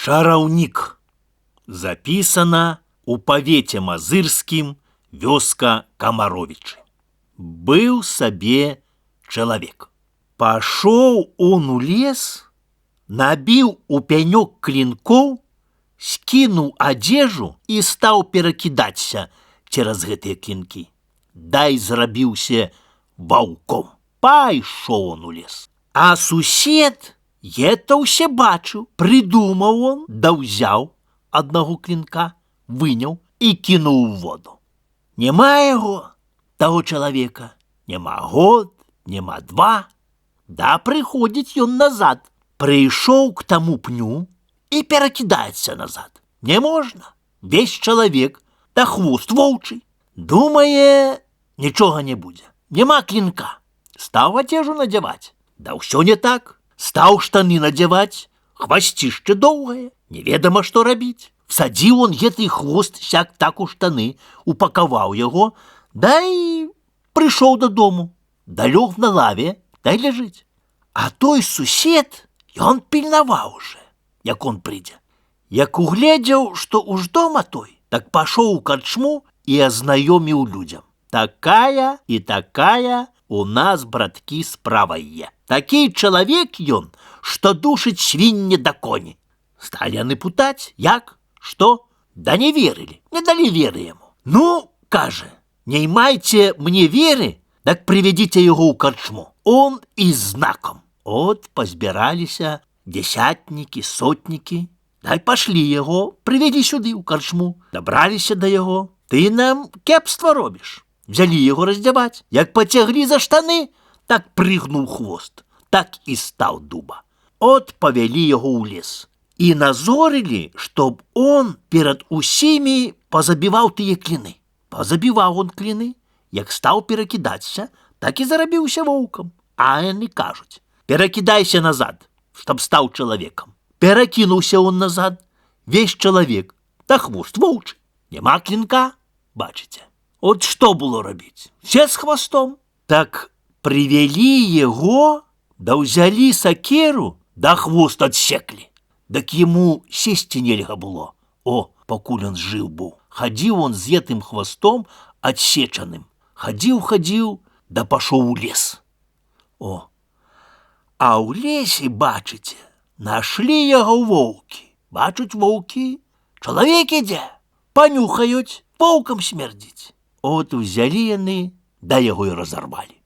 Чараўнік. Запісана у павеце мазырскім вёска Камаровічы. Быў сабе чалавек. Пашоў он у лес, набіў у пянёк клінкоў, скінуў адзежу і стаў перакідацца цераз гэтыя клінкі. Дай зрабіўся ваўком. Пайшоў он у лес. А сусед это ўсе бачыў, прыдумаў он, да ўзяў аднаго клінка, выняў і кінуў у воду. Няма яго, таго чалавека, няма год, няма два. Да прыходзіць ён назад, прыйшоў к таму пню і перакідаецца назад. Не можна, весь чалавек, да хвост воўчый. Думае, нічога не будзе, няма клінка. Стаў адзежу надзяваць, да ўсё не так. Стаў штаны надзяваць, хвасцішча доўгае, неведама што рабіць. Всадзіў он гэты хвост сяк-так у штаны, упакаваў яго, да і прыйшоў дадому, да лёг на лаве, да і ляжыць. А той сусед, ён пільнаваў уже, як он прыйдзе. Як угледзеў, што уж дома той, так пашоў у карчму і азнаёміў людзям. Такая і такая у нас, браткі, справа є. Такі чалавек ён, што душыць свінне да коні. Сталі яны пытаць, як, што? Да не верылі, не далі веры яму. Ну, кажа, не майце мне веры, так прывядзіце яго ў карчму. Он і знаком. От пазбіраліся дзясятнікі, сотнікі. Дай пашлі яго, прывядзі сюды ў карчму. Дабраліся да яго. Ты нам кепства робіш. Взялі яго раздзяваць. Як пацяглі за штаны, так прыгнуў хвост, так і стаў дуба. От павялі яго ў лес. І назорылі, чтоб он перад усімі пазабіваў тыя кліны. Пазабіваў он кліны, як стаў перакідацца, так і зарабіўся воўкам. А яны кажуць, перакідайся назад, чтоб стаў чалавекам. Перакінуўся он назад, весь чалавек, да хвост воўчы. Няма клінка, бачыце. От што было рабіць? Все з хвастом. Так прывялі яго, да ўзялі сакеру, да хвост адсеклі. Дак яму сесці нельга было. О, пакуль он жыў быў. Хадзіў он з гэтым хвастом адсечаным. Хадзіў, да пашоў у лес. О, а ў лесе, бачыце, нашлі яго воўкі. Бачуць воўкі, чалавек ідзе, панюхаюць, воўкам смердзіць. От узялі яны, да яго і разарвалі.